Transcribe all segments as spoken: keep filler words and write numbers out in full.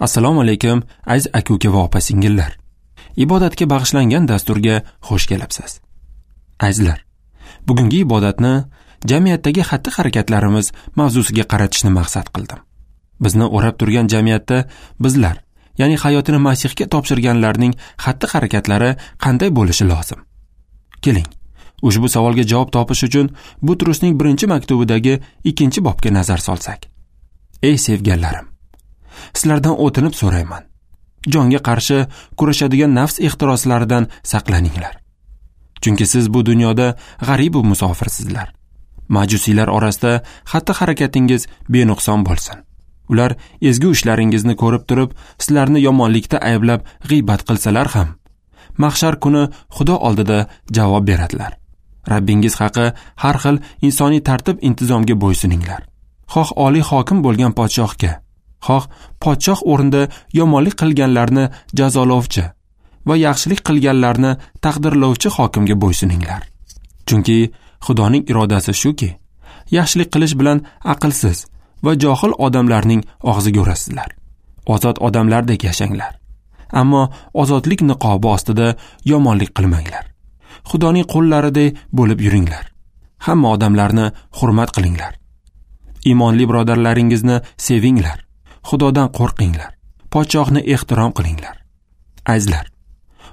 Assalomu alaykum aziz aka-uka va opa-singillar. Ibodatga bag'ishlangan dasturga xush kelibsiz. Azizlar, bugungi ibodatni jamiyatdagi xatti-harakatlarimiz mavzusiga qaratishni maqsad qildim. Bizni o'rab turgan jamiyatda bizlar, ya'ni hayotini Masihga topshirganlarning xatti-harakatlari qanday bo'lishi lozim? Keling, ushbu savolga javob topish uchun Butrusning birinchi maktubidagi ikkinchi bobga nazar solsak. Ey sevganlarim, sizlardan o'tinib so'rayman. Jonga qarshi kurashadigan nafs ehtiroslaridan saqlaninglar. Chunki siz bu dunyoda g'arib va musofirsizlar. Majusiylar orasida xatti-harakatingiz benuqson bo'lsin. Ular ezgu ishlaringizni ko'rib turib, sizlarni yomonlikda ayblab g'iybat qilsalar ham, mahshar kuni Xudo oldida javob beradilar. Rabbingiz haqi har xil insoniy tartib intizomga bo'ysuninglar. Xoh oliy hokim bo'lgan podshohga, xoh podshoh o'rnida yomonlik qilganlarni jazolovchi va yaxshilik qilganlarni taqdirlovchi hokimga bo'ysuninglar. Chunki Xudoning irodasi shuki, yaxshilik qilish bilan aqlsiz va johil odamlarning og'ziga urasizlar. Ozod odamlardek yashanglar. Ammo ozodlik niqobi ostida yomonlik qilmanglar. Xudoning qo'llaridek bo'lib yuringlar. Hamma odamlarni hurmat qilinglar. Iymonli birodarlaringizni sevinglar. Xudodan qo'rqinglar. Podshohni ehtirom qilinglar. Azizlar,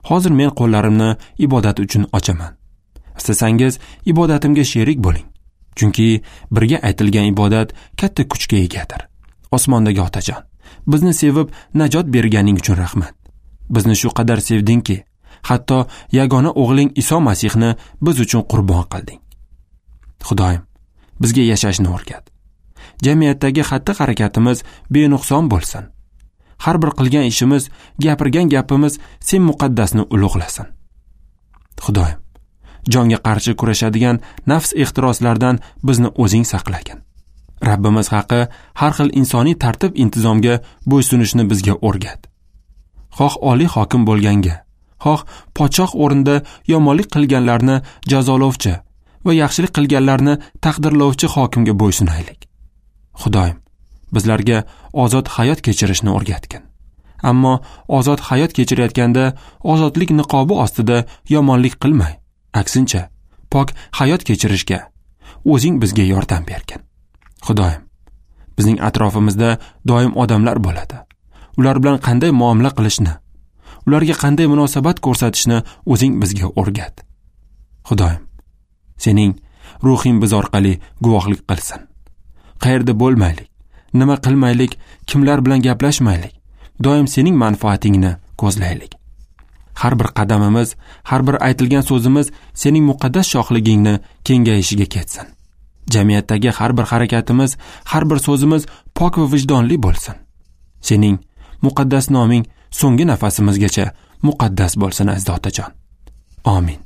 hozir men qo'llarimni ibodat uchun ochaman. Istasangiz ibodatimga sherik bo'ling. Chunki birga aytilgan ibodat katta kuchga egadir. Osmondagi Otajon, bizni sevib najot berganing uchun rahmat. Bizni shu qadar sevdingki, hatto yagona o'g'ling Iso Masihni biz uchun qurbon qilding. Xudoyim, bizga yashashni o'rgat. Jamiyatdagi xatti-harakatimiz benuqson bo'lsin. Har bir qilgan ishimiz, gapirgan gapimiz sen muqaddasni ulug'lasin. Xudoyim, jonga qarshi kurashadigan nafs ehtiroslaridan bizni o'zing saqlagin. Rabbimiz haqi har xil insoniy tartib intizomga bo'ysunishni bizga o'rgat. Xoh oliy hokim bo'lganga, xoh podshoh o'rnida yomonlik qilganlarni jazolovchi va yaxshilik qilganlarni taqdirlovchi hokimga bo'ysunaylik. Xudoyim, bizlarga ozod hayot kechirishni o'rgatgin. Ammo ozod hayot kechirayotganda ozodlik niqobi ostida yomonlik qilmay, aksincha pok hayot kechirishga o'zing bizga yordam bergin. Xudoyim, bizning atrofimizda doim odamlar bo'ladi. Ular bilan qanday muomala qilishni, ularga qanday munosabat ko'rsatishni o'zing bizga o'rgat. Xudoyim, sening ruhing biz orqali guvohlik qilsin. Qayerda bo'lmaylik, nima qilmaylik, kimlar bilan gaplashmaylik, doim sening manfaatingni ko'zlaylik. Har bir qadamimiz, har bir aytilgan so'zimiz sening muqaddas shohligingni kengayishiga ketsin. Jamiyatdagi har bir harakatimiz, har bir so'zimiz pok va vijdonli bo'lsin. Sening muqaddas noming so'nggi nafasimizgacha muqaddas bo'lsin, aziz otajon. Amin.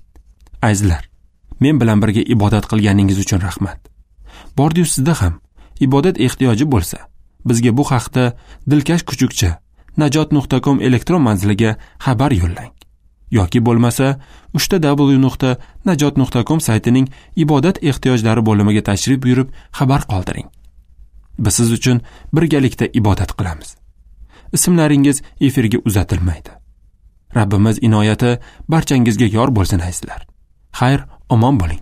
Azizlar, men bilan birga ibodat qilganingiz uchun rahmat. Bordi-yu sizda ham ibodat ehtiyoji bo'lsa, bizga bu haqda dilkash kuchukcha najot nuqta com elektron manziliga xabar yo'llang. Yoki bo'lmasa uchta w nuqta najot nuqta com saytining ibodat ehtiyojlari bo'limiga tashrif buyurib xabar qoldiring. Biz siz uchun birgalikda ibodat qilamiz. Ismlaringiz efirga uzatilmaydi. Rabbimiz inoyati barchangizga yor bo'lsin, azizlar. Xayr, omon bo'ling.